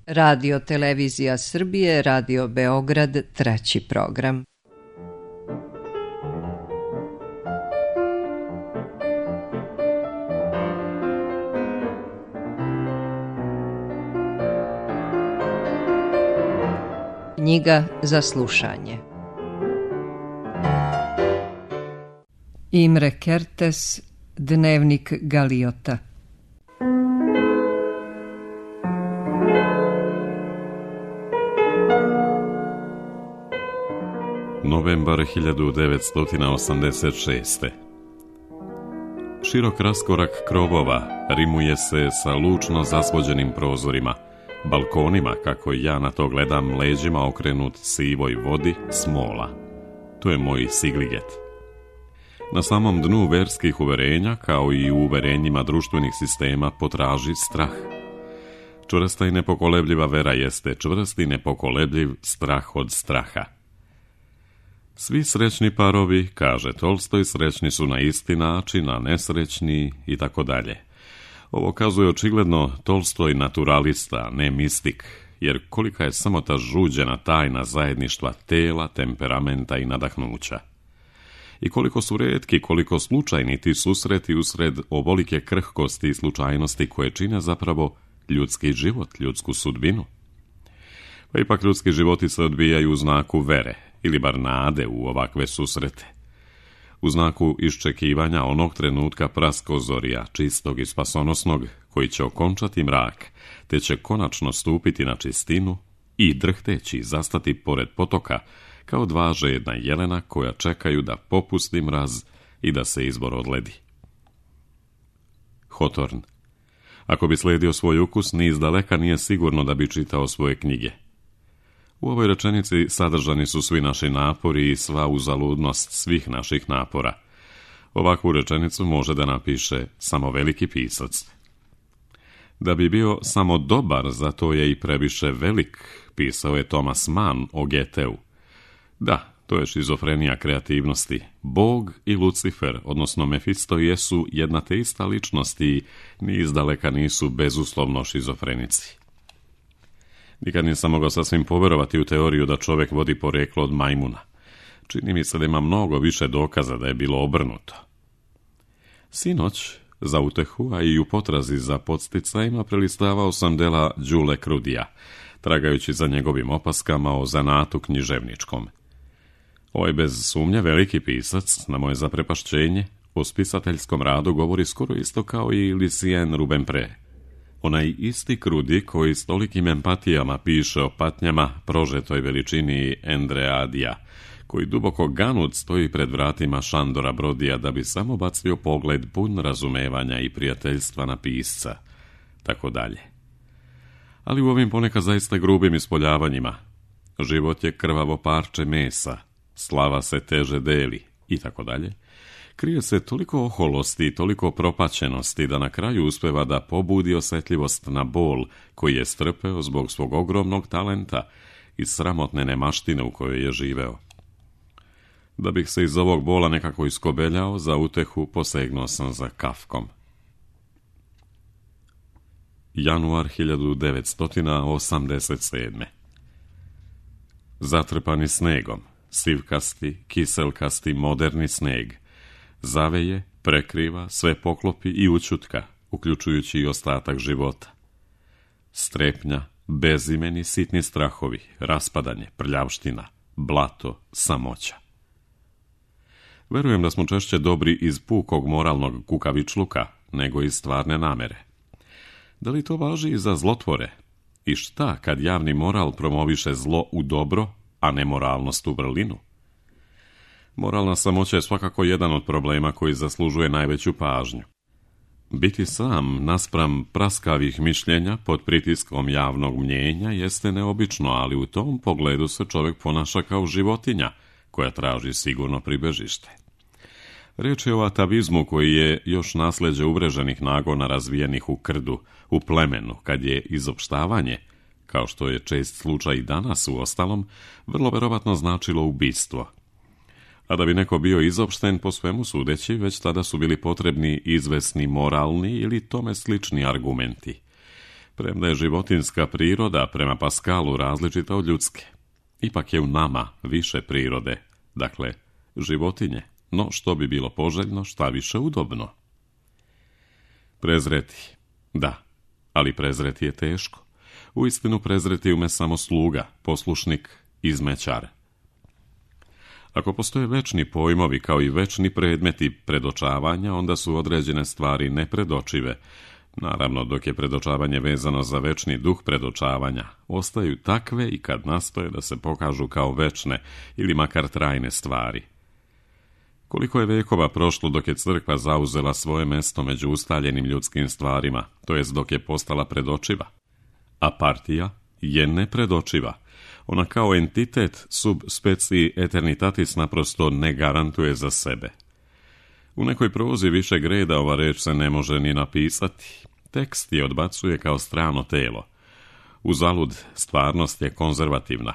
Radio Televizija Srbije, Radio Beograd, 3. program. Knjiga za slušanje. Imre Kertész, Dnevnik Galiota. Novembar 1986. Širok raskorak krovova rimuje se sa lučno zasvođenim prozorima, balkonima, kako ja na to gledam, leđima okrenut sivoj vodi smola. To je moj Sigliget. Na samom dnu verskih uverenja, kao i u uverenjima društvenih sistema, potraži strah. Čvrsta i nepokolebljiva vera jeste čvrst i nepokolebljiv strah od straha. Svi srećni parovi, kaže Tolstoj, srećni su na isti način, a nesrećni i tako dalje. Ovo kazuje očigledno Tolstoj naturalista, ne mistik, jer kolika je samo ta žuđena tajna zajedništva tela, temperamenta i nadahnuća. I koliko su retki, koliko slučajni ti susreti usred ovolike krhkosti i slučajnosti koje čine zapravo ljudski život, ljudsku sudbinu. Pa ipak ljudski životi se odvijaju u znaku vere, ili bar nade u ovakve susrete. U znaku iščekivanja onog trenutka praskozorja, čistog i spasonosnog, koji će okončati mrak, te će konačno stupiti na čistinu i drhteći zastati pored potoka, kao dva žedna jelena koja čekaju da popusti mraz i da se izbor odledi. Hawthorne. Ako bi sledio svoj ukus, ni izdaleka nije sigurno da bi čitao svoje knjige. U ovoj rečenici sadržani su svi naši napori i sva uzaludnost svih naših napora. Ovakvu rečenicu može da napiše samo veliki pisac. Da bi bio samo dobar, zato je i previše velik, pisao je Thomas Mann o Goetheu. Da, to je šizofrenija kreativnosti. Bog i Lucifer, odnosno Mefisto, jesu jedna te ista ličnost i ni izdaleka nisu bezuslovno šizofrenici. Nikad nisam mogao sasvim poverovati u teoriju da čovjek vodi poreklo od majmuna. Čini mi se da ima mnogo više dokaza da je bilo obrnuto. Sinoć, za utehu, a i u potrazi za podsticajima, prelistavao sam dela Đule Krudija, tragajući za njegovim opaskama o zanatu književničkom. Ovaj bez sumnje veliki pisac, na moje zaprepašćenje, o spisateljskom radu govori skoro isto kao i Lucien Rubempré. Onaj isti Krudi koji s tolikim empatijama piše o patnjama prožetoj veličini Endreadija, koji duboko ganut stoji pred vratima Šandora Brodija da bi samo bacio pogled pun razumevanja i prijateljstva na pisca, tako dalje. Ali u ovim ponekad zaista grubim ispoljavanjima, život je krvavo parče mesa, slava se teže deli i tako dalje, krije se toliko oholosti i toliko propaćenosti da na kraju uspeva da pobudi osjetljivost na bol koji je strpeo zbog svog ogromnog talenta i sramotne nemaštine u kojoj je živeo. Da bih se iz ovog bola nekako iskobeljao, za utehu posegnuo sam za Kafkom. Januar 1987. Zatrpani snegom, sivkasti, kiselkasti, moderni sneg, zaveje, prekriva, sve poklopi i ućutka, uključujući i ostatak života. Strepnja, bezimeni sitni strahovi, raspadanje, prljavština, blato, samoća. Verujem da smo češće dobri iz pukog moralnog kukavičluka nego iz stvarne namere. Da li to važi i za zlotvore? I šta kad javni moral promoviše zlo u dobro, a nemoralnost u vrlinu? Moralna samoća je svakako jedan od problema koji zaslužuje najveću pažnju. Biti sam naspram praskavih mišljenja pod pritiskom javnog mnjenja jeste neobično, ali u tom pogledu se čovjek ponaša kao životinja koja traži sigurno pribežište. Riječ je o atavizmu koji je još nasljeđe uvreženih nagona razvijenih u krdu, u plemenu, kad je izopštavanje, kao što je čest slučaj i danas uostalom, vrlo verovatno značilo ubistvo. A da bi neko bio izopšten po svemu sudeći, već tada su bili potrebni izvesni moralni ili tome slični argumenti. Premda je životinjska priroda prema Paskalu različita od ljudske. Ipak je u nama više prirode, dakle životinje, no što bi bilo poželjno, šta više udobno. Prezreti, da, ali prezreti je teško. Uistinu prezreti ume samo sluga, poslušnik, izmećar. Ako postoje večni pojmovi kao i večni predmeti predočavanja, onda su određene stvari nepredočive. Naravno, dok je predočavanje vezano za večni duh predočavanja, ostaju takve i kad nastoje da se pokažu kao večne ili makar trajne stvari. Koliko je vekova prošlo dok je crkva zauzela svoje mesto među ustaljenim ljudskim stvarima, to jest dok je postala predočiva. A partija je nepredočiva. Ona kao entitet sub specie eternitatis naprosto ne garantuje za sebe. U nekoj prozi višeg reda ova reč se ne može ni napisati. Tekst je odbacuje kao strano telo. Uzalud, stvarnost je konzervativna.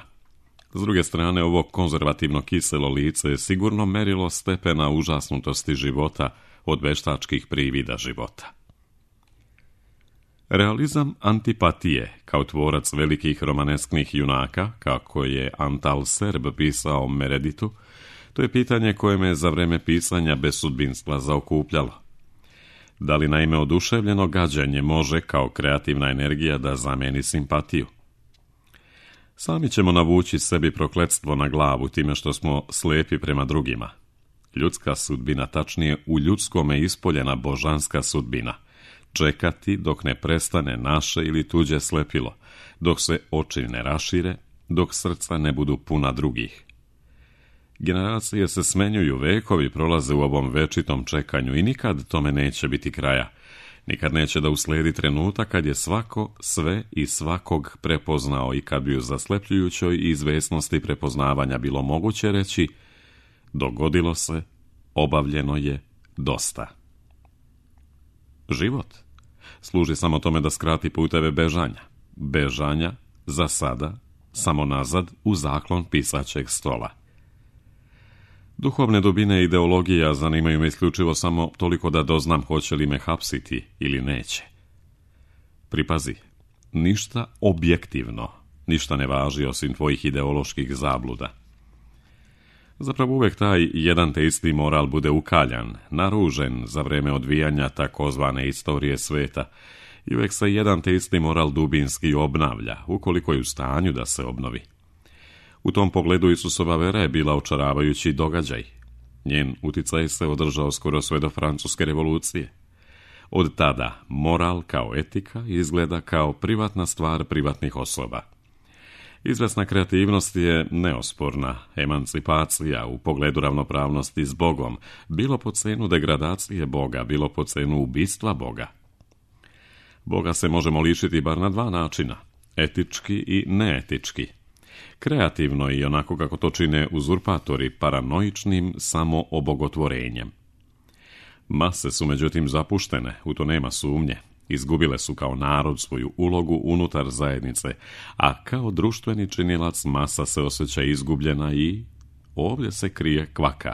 S druge strane, ovo konzervativno kiselo lice je sigurno merilo stepena užasnutosti života od veštačkih privida života. Realizam antipatije, kao tvorac velikih romanesknih junaka, kako je Antal Serb pisao o Mereditu, to je pitanje koje me za vreme pisanja bez sudbinstva zaokupljalo. Da li naime oduševljeno gađenje može kao kreativna energija da zameni simpatiju? Sami ćemo navući sebi prokletstvo na glavu time što smo slepi prema drugima. Ljudska sudbina, tačnije u ljudskome ispoljena božanska sudbina. Čekati dok ne prestane naše ili tuđe slepilo, dok se oči ne rašire, dok srca ne budu puna drugih. Generacije se smenjuju, vekovi prolaze u ovom večitom čekanju i nikad tome neće biti kraja. Nikad neće da usledi trenutak kad je svako sve i svakog prepoznao i kad bi u zaslepljujućoj izvesnosti prepoznavanja bilo moguće reći dogodilo se, obavljeno je, dosta. Život služi samo tome da skrati puteve bežanja. Bežanja, za sada, samo nazad u zaklon pisaćeg stola. Duhovne dubine ideologija zanimaju me isključivo samo toliko da doznam hoće li me hapsiti ili neće. Pripazi, ništa objektivno, ništa ne važi osim tvojih ideoloških zabluda. Zapravo uvek taj jedan te isti moral bude ukaljan, naružen za vreme odvijanja takozvane istorije sveta i uvek se jedan te isti moral dubinski obnavlja, ukoliko je u stanju da se obnovi. U tom pogledu Isusova vera je bila očaravajući događaj. Njen uticaj se održao skoro sve do Francuske revolucije. Od tada moral kao etika izgleda kao privatna stvar privatnih osoba. Izvesna kreativnost je neosporna, emancipacija u pogledu ravnopravnosti s Bogom, bilo po cenu degradacije Boga, bilo po cenu ubistva Boga. Boga se možemo lišiti bar na dva načina, etički i neetički. Kreativno i onako kako to čine uzurpatori paranoičnim samoobogotvorenjem. Mase su međutim zapuštene, u to nema sumnje. Izgubile su kao narod svoju ulogu unutar zajednice, a kao društveni činilac masa se osjeća izgubljena i ovdje se krije kvaka.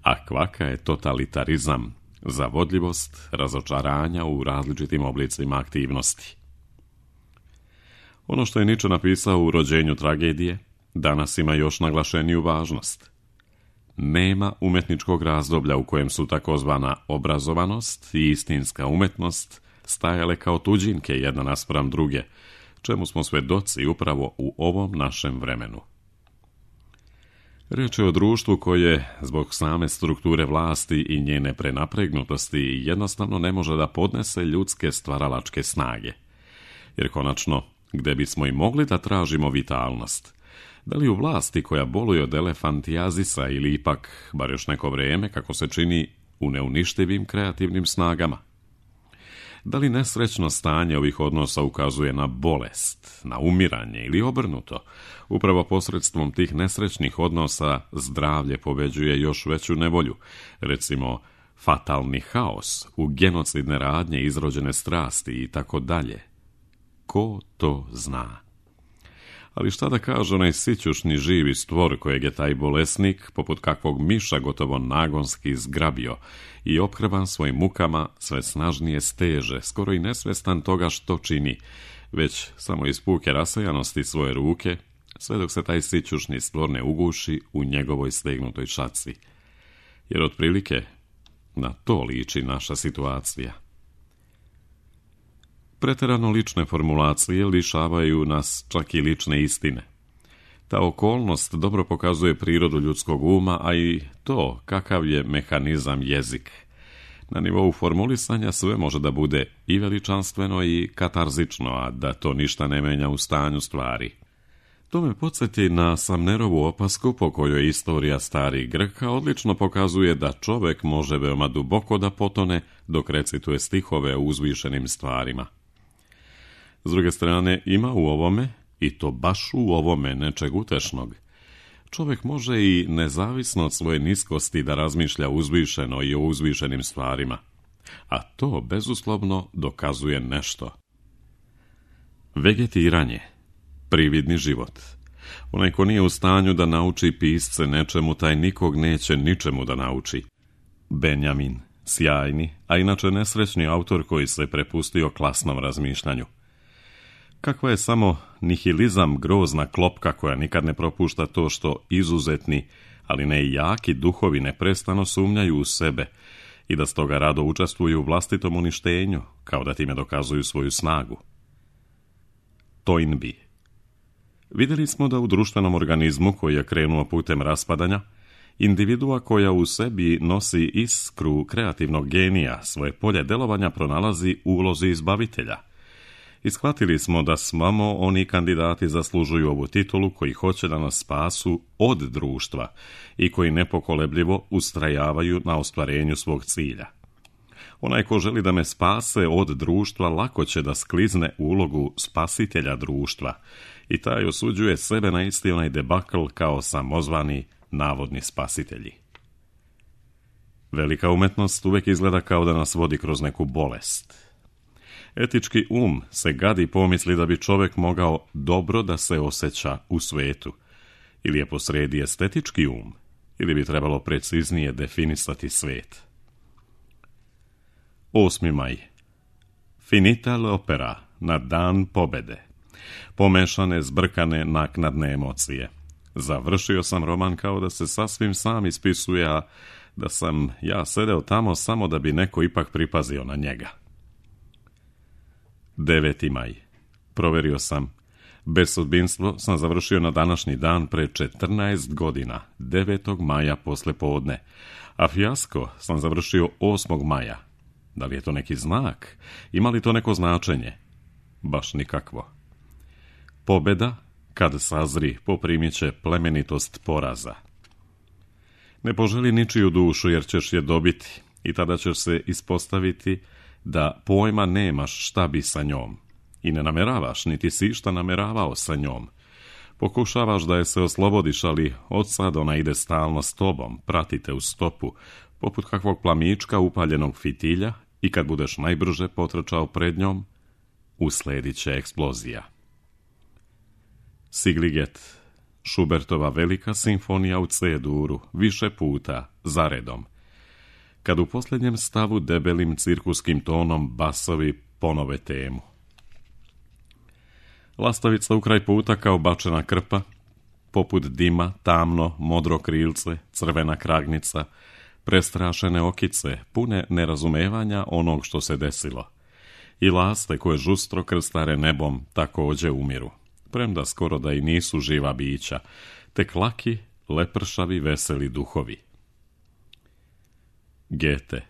A kvaka je totalitarizam, zavodljivost, razočaranja u različitim oblicima aktivnosti. Ono što je Nietzsche napisao u Rođenju tragedije, danas ima još naglašeniju važnost. Nema umetničkog razdoblja u kojem su takozvana obrazovanost i istinska umetnost stajale kao tuđinke jedna naspram druge, čemu smo svedoci upravo u ovom našem vremenu. Riječ je o društvu koje, zbog same strukture vlasti i njene prenapregnutosti, jednostavno ne može da podnese ljudske stvaralačke snage. Jer konačno, gde bismo i mogli da tražimo vitalnost? Da li u vlasti koja boluje od elefantijazisa ili ipak, bar još neko vrijeme, kako se čini, u neuništivim kreativnim snagama? Da li nesrećno stanje ovih odnosa ukazuje na bolest, na umiranje ili obrnuto? Upravo posredstvom tih nesrećnih odnosa zdravlje pobeđuje još veću nevolju, recimo fatalni haos, u genocidne radnje izrođene strasti i tako dalje. Ko to zna? Ali šta da kaže onaj sićušni živi stvor kojeg je taj bolesnik, poput kakvog miša gotovo nagonski zgrabio i ophrban svojim mukama sve snažnije steže, skoro i nesvestan toga što čini, već samo iz puke rasejanosti svoje ruke, sve dok se taj sićušni stvor ne uguši u njegovoj stegnutoj šaci. Jer otprilike na to liči naša situacija. Preterano lične formulacije lišavaju nas čak i lične istine. Ta okolnost dobro pokazuje prirodu ljudskog uma, a i to kakav je mehanizam jezik. Na nivou formulisanja sve može da bude i veličanstveno i katarzično, a da to ništa ne menja u stanju stvari. To me podsjeti na Samnerovu opasku po kojoj istorija starih Grka odlično pokazuje da čovek može veoma duboko da potone dok recituje stihove o uzvišenim stvarima. S druge strane, ima u ovome, i to baš u ovome, nečeg utešnog. Čovjek može i nezavisno od svoje niskosti da razmišlja uzvišeno i o uzvišenim stvarima, a to bezuslovno dokazuje nešto. Vegetiranje, prividni život. Onaj ko nije u stanju da nauči pisce nečemu, taj nikog neće ničemu da nauči. Benjamin, sjajni, a inače nesrećni autor koji se prepustio klasnom razmišljanju. Kakva je samo nihilizam grozna klopka koja nikad ne propušta to što izuzetni, ali ne i jaki duhovi neprestano sumnjaju u sebe i da stoga rado učestvuju u vlastitom uništenju, kao da time dokazuju svoju snagu. Toynbee. Vidjeli smo da u društvenom organizmu koji je krenuo putem raspadanja, individua koja u sebi nosi iskru kreativnog genija svoje polje delovanja pronalazi u ulozi izbavitelja. I shvatili smo da samo oni kandidati zaslužuju ovu titulu koji hoće da nas spasu od društva i koji nepokolebljivo ustrajavaju na ostvarenju svog cilja. Onaj ko želi da me spase od društva lako će da sklizne u ulogu spasitelja društva i taj osuđuje sebe na isti onaj debakl kao samozvani navodni spasitelji. Velika umetnost uvek izgleda kao da nas vodi kroz neku bolest. Etički um se gadi pomisli da bi čovjek mogao dobro da se osjeća u svetu. Ili je posredi estetički um, ili bi trebalo preciznije definisati svet. 8. maj. Finita l'opera, na dan pobede. Pomešane, zbrkane, naknadne emocije. Završio sam roman kao da se sasvim sam ispisuje, a da sam ja sedeo tamo samo da bi neko ipak pripazio na njega. 9. maj. Proverio sam. Bezsudbinstvo sam završio na današnji dan pre 14 godina, 9. maja posle podne, a fijasko sam završio 8. maja. Da li je to neki znak? Ima li to neko značenje? Baš nikakvo. Pobeda, kad sazri, poprimit će plemenitost poraza. Ne poželi ničiju dušu jer ćeš je dobiti i tada ćeš se ispostaviti da pojma nemaš šta bi sa njom i ne nameravaš, niti si šta nameravao sa njom. Pokušavaš da je se oslobodiš, ali od sad ona ide stalno s tobom, pratite u stopu, poput kakvog plamička upaljenog fitilja i kad budeš najbrže potrčao pred njom, usledit će eksplozija. Sigliget, Schubertova velika simfonija u C-duru, više puta, zaredom. Kad u posljednjem stavu debelim cirkuskim tonom basovi ponove temu. Lastavica u kraj puta kao bačena krpa, poput dima, tamno, modro krilce, crvena kragnica, prestrašene okice, pune nerazumevanja onog što se desilo. I laste koje žustro krstare nebom također umiru, premda skoro da i nisu živa bića, tek laki, lepršavi, veseli duhovi. Gete.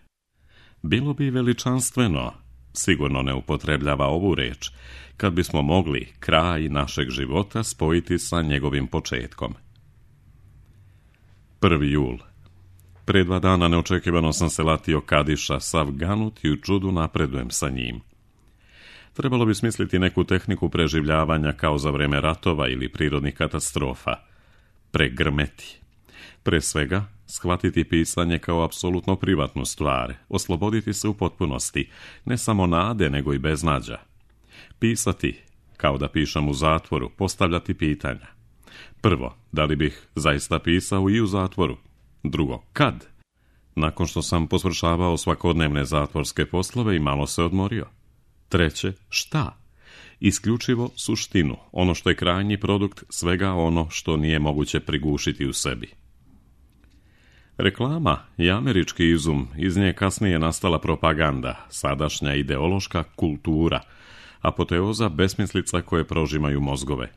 Bilo bi veličanstveno, sigurno ne upotrebljava ovu reč, kad bismo mogli kraj našeg života spojiti sa njegovim početkom. 1. jul. Pre 2 dana neočekivano sam se latio kadiša, sav ganut i u čudu napredujem sa njim. Trebalo bi smisliti neku tehniku preživljavanja kao za vreme ratova ili prirodnih katastrofa. Pregrmeti. Pre svega, shvatiti pisanje kao apsolutno privatnu stvar, osloboditi se u potpunosti, ne samo nade, nego i beznađa. Pisati, kao da pišem u zatvoru, postavljati pitanja. Prvo, da li bih zaista pisao i u zatvoru? Drugo, kad? Nakon što sam posvršavao svakodnevne zatvorske poslove i malo se odmorio. Treće, šta? isključivo suštinu, ono što je krajnji produkt svega ono što nije moguće prigušiti u sebi. Reklama je američki izum, iz nje kasnije nastala propaganda, sadašnja ideološka kultura, apoteoza besmislica koje prožimaju mozgove.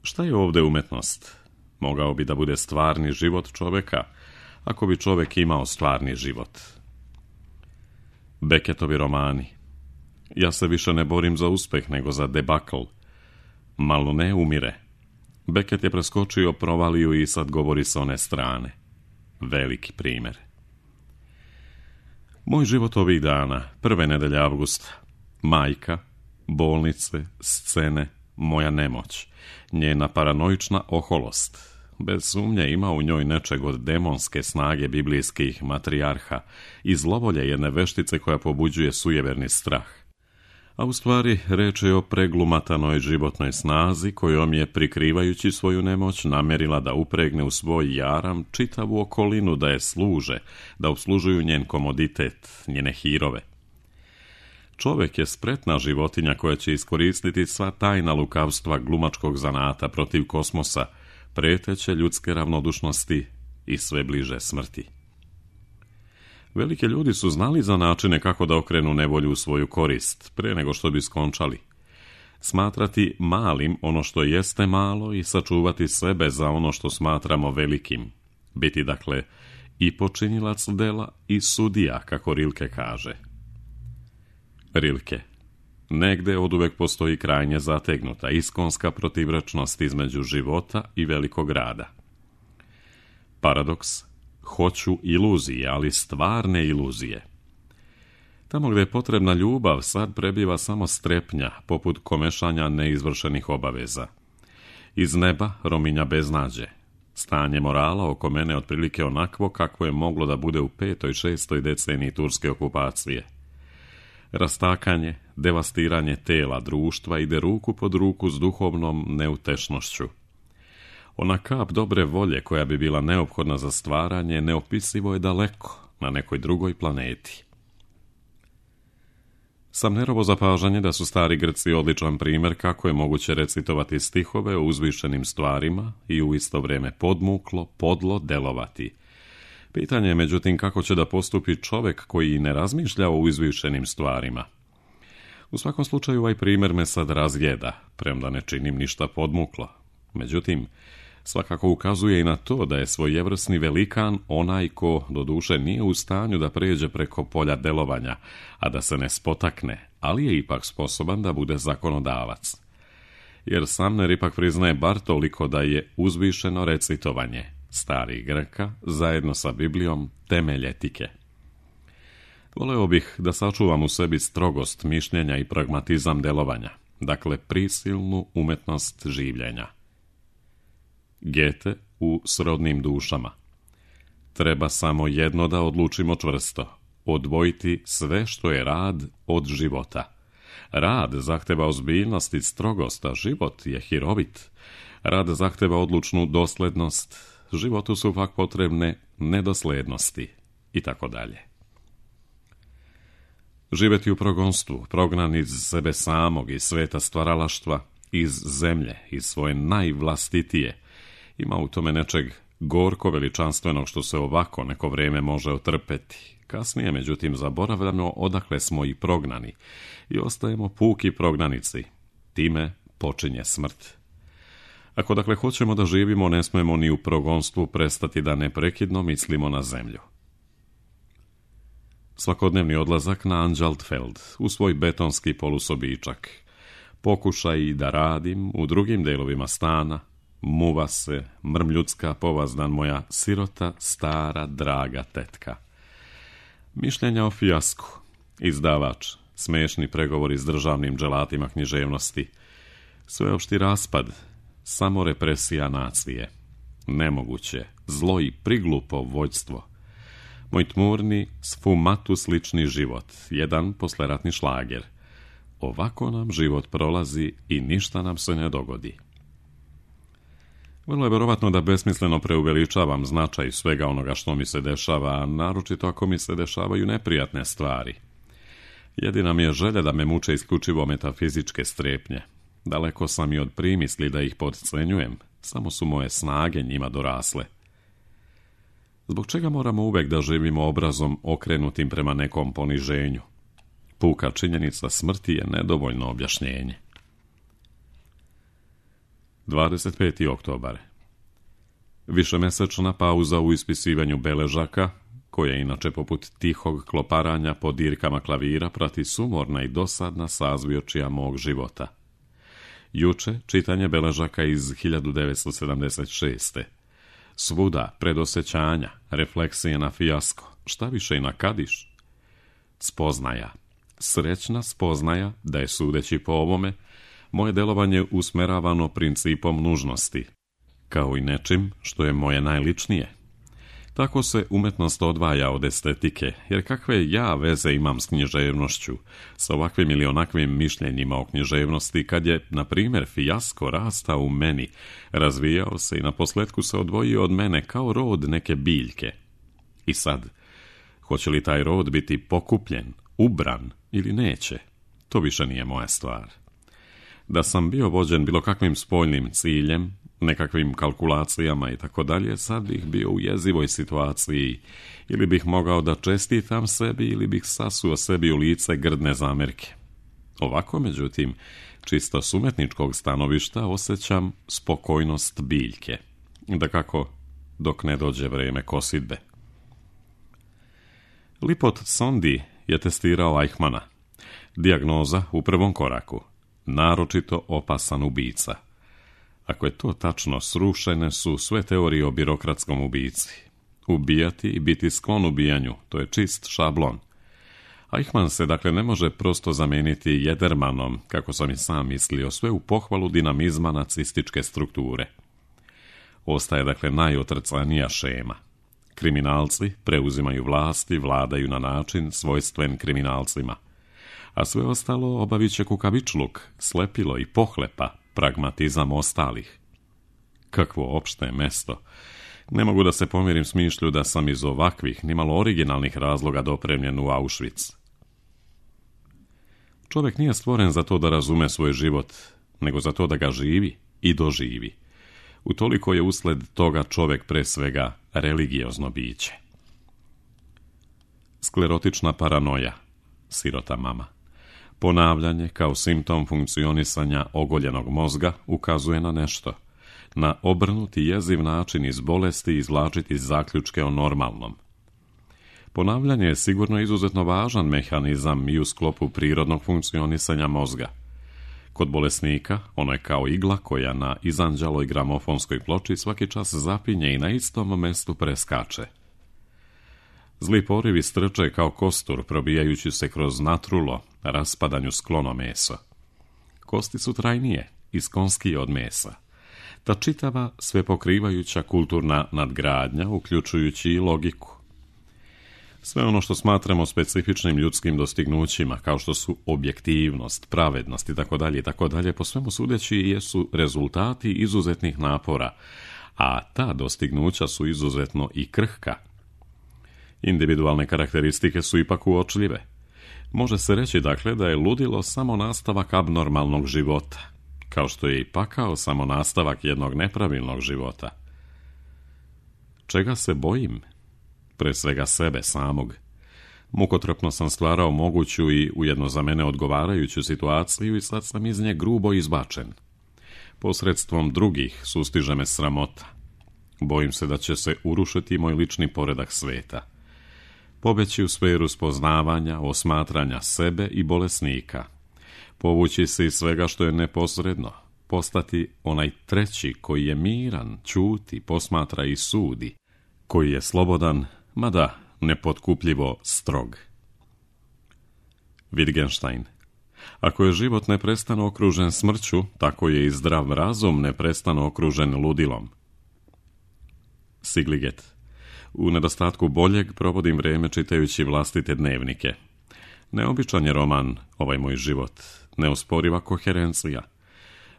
Šta je ovdje umetnost? Mogao bi da bude stvarni život čovjeka, ako bi čovjek imao stvarni život. Beckettovi romani. Ja se više ne borim za uspeh nego za debakl. Malone umire. Beckett je preskočio provaliju i sad govori s one strane. Veliki primjer. Moj život ovih dana, prve nedelje avgusta. Majka, bolnice, scene, moja nemoć, njena paranoična oholost. Bez sumnje ima u njoj nečeg od demonske snage biblijskih matrijarha i zlovolje jedne veštice koja pobuđuje sujeverni strah. A u stvari reč je o preglumatanoj životnoj snazi kojom je, prikrivajući svoju nemoć, namjerila da upregne u svoj jaram čitavu okolinu da je služe, da obslužuju njen komoditet, njene hirove. Čovjek je spretna životinja koja će iskoristiti sva tajna lukavstva glumačkog zanata protiv kosmosa, preteće ljudske ravnodušnosti i sve bliže smrti. Veliki ljudi su znali za načine kako da okrenu nevolju u svoju korist, pre nego što bi skončali. Smatrati malim ono što jeste malo i sačuvati sebe za ono što smatramo velikim. Biti, dakle, i počinilac dela i sudija, kako Rilke kaže. Rilke. Negde oduvek postoji krajnje zategnuta, iskonska protivrečnost između života i velikog rada. Paradoks. Hoću iluzije, ali stvarne iluzije. Tamo gdje je potrebna ljubav, sad prebiva samo strepnja, poput komešanja neizvršenih obaveza. Iz neba rominja beznađe. Stanje morala oko mene otprilike onakvo kakvo je moglo da bude u 5. i 6. deceniji turske okupacije. Rastakanje, devastiranje tela društva ide ruku pod ruku s duhovnom neutešnošću. Ona kap dobre volje koja bi bila neophodna za stvaranje neopisivo je daleko, na nekoj drugoj planeti. Samnerovo zapažanje da su stari Grci odličan primjer kako je moguće recitovati stihove o uzvišenim stvarima i u isto vrijeme podmuklo, podlo delovati. Pitanje je međutim kako će da postupi čovjek koji ne razmišlja o uzvišenim stvarima. U svakom slučaju ovaj primjer me sad razjeda, premda ne činim ništa podmuklo. Međutim, svakako ukazuje i na to da je svojevrsni velikan onaj ko, doduše, nije u stanju da pređe preko polja delovanja, a da se ne spotakne, ali je ipak sposoban da bude zakonodavac. Jer Sumner ipak priznaje bar toliko da je uzvišeno recitovanje starih Grka zajedno sa Biblijom temelj etike. Voleo bih da sačuvam u sebi strogost mišljenja i pragmatizam delovanja, dakle prisilnu umetnost življenja. Goethe u Srodnim dušama. Treba samo jedno da odlučimo čvrsto, odvojiti sve što je rad od života. Rad zahteva ozbiljnost i strogost, a život je hirovit. Rad zahteva odlučnu doslednost, životu su pak potrebne nedoslednosti i tako dalje. Živjeti u progonstvu, prognan iz sebe samog, iz sveta stvaralaštva, iz zemlje, iz svoje najvlastitije, ima u tome nečeg gorko veličanstvenog što se ovako neko vrijeme može otrpeti. Kasnije, međutim, zaboravljamo odakle smo i prognani i ostajemo puki prognanici. Time počinje smrt. Ako dakle hoćemo da živimo, ne smemo ni u progonstvu prestati da neprekidno mislimo na zemlju. Svakodnevni odlazak na Anđaltfeld, u svoj betonski polusobičak. Pokušaj da radim u drugim delovima stana, muva se, mrmljudska povazdan moja sirota, stara, draga tetka. Mišljenja o fijasku, izdavač, smešni pregovori s državnim dželatima književnosti, sveopšti raspad, samo represija nacije, nemoguće, zlo i priglupo vođstvo, moj tmurni, sfumatu slični život, jedan posleratni šlager. Ovako nam život prolazi i ništa nam se ne dogodi. Vrlo je vjerovatno da besmisleno preuveličavam značaj svega onoga što mi se dešava, a naročito ako mi se dešavaju neprijatne stvari. Jedina mi je želja da me muče isključivo metafizičke strepnje. Daleko sam i od primisli da ih podcenjujem, samo su moje snage njima dorasle. Zbog čega moramo uvek da živimo obrazom okrenutim prema nekom poniženju? Puka činjenica smrti je nedovoljno objašnjenje. 25. oktobar. Višemesečna pauza u ispisivanju beležaka, koja inače poput tihog kloparanja po dirkama klavira prati sumorna i dosadna sazvjočija mog života. Juče čitanje beležaka iz 1976. Svuda predosećanja, refleksije na fijasko, šta više i na kadiš. Spoznaja, srećna spoznaja da je, sudeći po ovome, moje delovanje usmeravano principom nužnosti, kao i nečim što je moje najličnije. Tako se umetnost odvaja od estetike, jer kakve ja veze imam s književnošću, sa ovakvim ili onakvim mišljenjima o književnosti, kad je, na primjer, fijasko rastao u meni, razvijao se i naposletku se odvojio od mene kao rod neke biljke. I sad, hoće li taj rod biti pokupljen, ubran ili neće, to više nije moja stvar. Da sam bio vođen bilo kakvim spoljnim ciljem, nekakvim kalkulacijama i tako dalje, sad bih bio u jezivoj situaciji, ili bih mogao da čestitam sebi, ili bih sasuo sebi u lice grdne zamerke. Ovako, međutim, čisto s umetničkog stanovišta osjećam spokojnost biljke, dakako dok ne dođe vreme kosidbe. Lipot Sondi je testirao Eichmana. Dijagnoza u prvom koraku: naročito opasan ubica. Ako je to tačno, srušene su sve teorije o birokratskom ubici. Ubijati i biti sklon ubijanju, to je čist šablon. Eichmann se dakle ne može prosto zameniti Jedermanom, kako sam i sam mislio, sve u pohvalu dinamizma nacističke strukture. Ostaje dakle najotrcanija šema. Kriminalci preuzimaju vlast i vladaju na način svojstven kriminalcima. A sve ostalo obavit će kukavičluk, slepilo i pohlepa, pragmatizam ostalih. Kakvo opšte mesto! Ne mogu da se pomirim s mišlju da sam iz ovakvih, nimalo originalnih razloga dopremljen u Auschwitz. Čovjek nije stvoren za to da razume svoj život, nego za to da ga živi i doživi. Utoliko je usled toga čovjek pre svega religiozno biće. Sklerotična paranoja, sirota mama. Ponavljanje kao simptom funkcionisanja ogoljenog mozga ukazuje na nešto. Na obrnuti jeziv način iz bolesti izvlačiti zaključke o normalnom. Ponavljanje je sigurno izuzetno važan mehanizam i u sklopu prirodnog funkcionisanja mozga. Kod bolesnika ono je kao igla koja na izanđaloj gramofonskoj ploči svaki čas zapinje i na istom mestu preskače. Zli porivi strče kao kostur, probijajući se kroz natrulo, raspadanju sklono meso. Kosti su trajnije, iskonskije od mesa. Ta čitava, sve pokrivajuća kulturna nadgradnja, uključujući i logiku. Sve ono što smatramo specifičnim ljudskim dostignućima, kao što su objektivnost, pravednost itd., po svemu sudeći jesu rezultati izuzetnih napora, a ta dostignuća su izuzetno i krhka. Individualne karakteristike su ipak uočljive. Može se reći dakle da je ludilo samo nastavak abnormalnog života, kao što je i pakao samo nastavak jednog nepravilnog života. Čega se bojim? Pre svega sebe samog. Mukotrpno sam stvarao moguću i ujedno za mene odgovarajuću situaciju i sad sam iz nje grubo izbačen. Posredstvom drugih sustiže me sramota. Bojim se da će se urušiti moj lični poredak sveta. Pobeći u sferu spoznavanja, osmatranja sebe i bolesnika. Povući se iz svega što je neposredno. Postati onaj treći koji je miran, ćuti, posmatra i sudi. Koji je slobodan, mada nepotkupljivo strog. Wittgenstein. Ako je život neprestano okružen smrću, tako je i zdrav razum neprestano okružen ludilom. Sigliget. U nedostatku boljeg provodim vrijeme čitajući vlastite dnevnike. Neobičan je roman, ovaj moj život, neosporiva koherencija.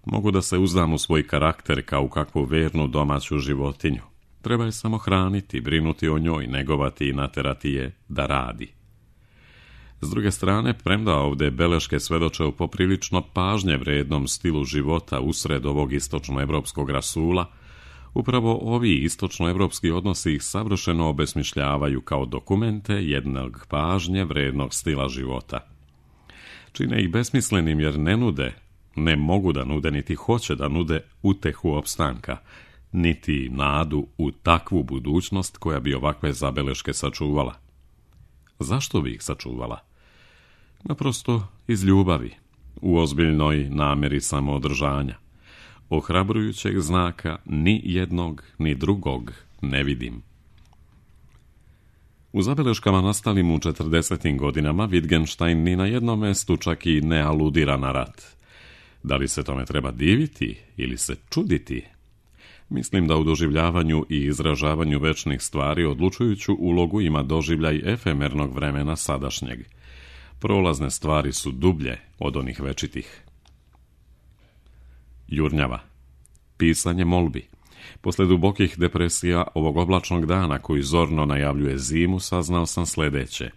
Mogu da se uzdam u svoj karakter kao u kakvu vernu domaću životinju. Treba je samo hraniti, brinuti o njoj, negovati i naterati je da radi. S druge strane, premda ovdje beleške svedoče o poprilično pažnje vrednom stilu života usred ovog istočnoevropskog rasula, upravo ovi istočnoevropski odnosi ih savršeno obesmišljavaju kao dokumente jednog pažnje vrednog stila života. Čine ih besmislenim jer ne mogu da nude, niti hoće da nude utehu opstanka, niti nadu u takvu budućnost koja bi ovakve zabeleške sačuvala. Zašto bi ih sačuvala? Naprosto iz ljubavi, u ozbiljnoj namjeri samoodržanja. Ohrabrujućeg znaka ni jednog ni drugog ne vidim. U zabeleškama nastalim u 40. godinama Wittgenstein ni na jednom mestu čak i ne aludira na rat. Da li se tome treba diviti ili se čuditi? Mislim da u doživljavanju i izražavanju večnih stvari odlučujuću ulogu ima doživljaj efemernog vremena sadašnjeg. Prolazne stvari su dublje od onih večitih. Jurnjava. Pisanje molbi. Posle dubokih depresija ovog oblačnog dana koji zorno najavljuje zimu, saznao sam sljedeće.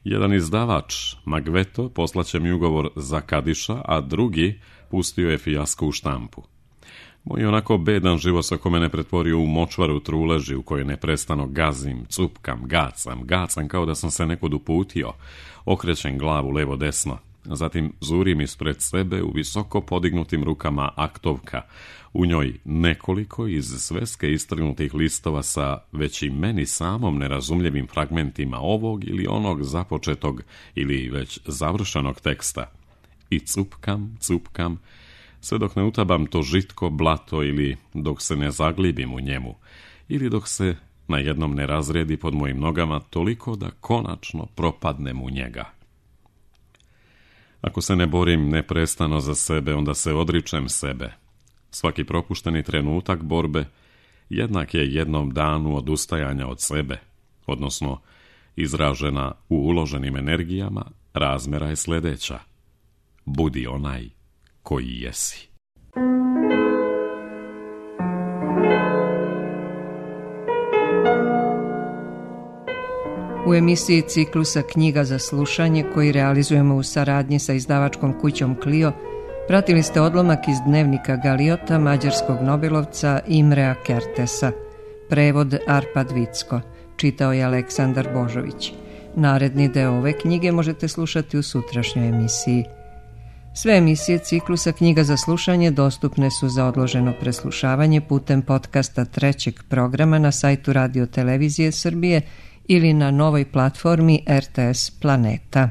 Jedan izdavač, Magveto, poslaće mi ugovor za Kadiša, a drugi pustio je fijasko u štampu. Moj onako bedan život se oko mene pretvorio u močvaru truleži u kojoj neprestano gazim, cupkam, gacam kao da sam se nekud uputio, okrećem glavu levo desno. Zatim zurim ispred sebe u visoko podignutim rukama aktovka, u njoj nekoliko iz sveske istrgnutih listova sa već i meni samom nerazumljivim fragmentima ovog ili onog započetog ili već završenog teksta. I cupkam, sve dok ne utabam to žitko blato ili dok se ne zaglibim u njemu, ili dok se na jednom ne razredi pod mojim nogama toliko da konačno propadnem u njega. Ako se ne borim neprestano za sebe, onda se odričem sebe. Svaki propušteni trenutak borbe jednak je jednom danu odustajanja od sebe, odnosno izražena u uloženim energijama, razmjera je sljedeća. Budi onaj koji jesi. U emisiji ciklusa Knjiga za slušanje, koji realizujemo u saradnji sa izdavačkom kućom Clio, pratili ste odlomak iz dnevnika Galiota mađarskog nobelovca Imrea Kertesa. Prevod Arpad Vicko. Čitao je Aleksandar Božović. Naredni deo ove knjige možete slušati u sutrašnjoj emisiji. Sve emisije ciklusa Knjiga za slušanje dostupne su za odloženo preslušavanje putem podcasta trećeg programa na sajtu Radio Televizije Srbije ili na novoj platformi RTS Planeta.